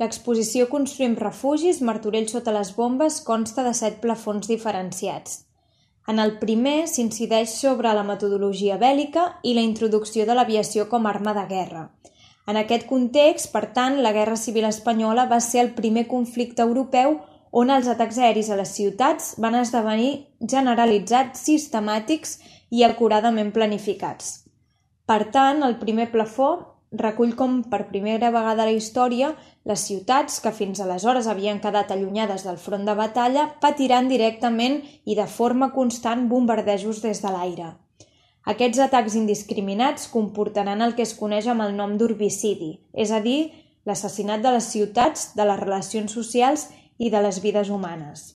L'exposició Construïm refugis, Martorell sota les bombes consta de 7 plafons diferenciats. En el primer s'incideix sobre la metodologia bèl·lica i la introducció de l'aviació com a arma de guerra. En aquest context, per tant, la Guerra Civil Espanyola va ser el primer conflicte europeu on els atacs aeris a les ciutats van esdevenir generalitzats, sistemàtics i acuradament planificats. Per tant, el primer plafó recull com per primera vegada a la història les ciutats que fins aleshores havien quedat allunyades del front de batalla patiran directament i de forma constant bombardejos des de l'aire. Aquests atacs indiscriminats comportaran el que es coneix amb el nom d'urbicidi, és a dir, l'assassinat de les ciutats, de les relacions socials i de les vides humanes.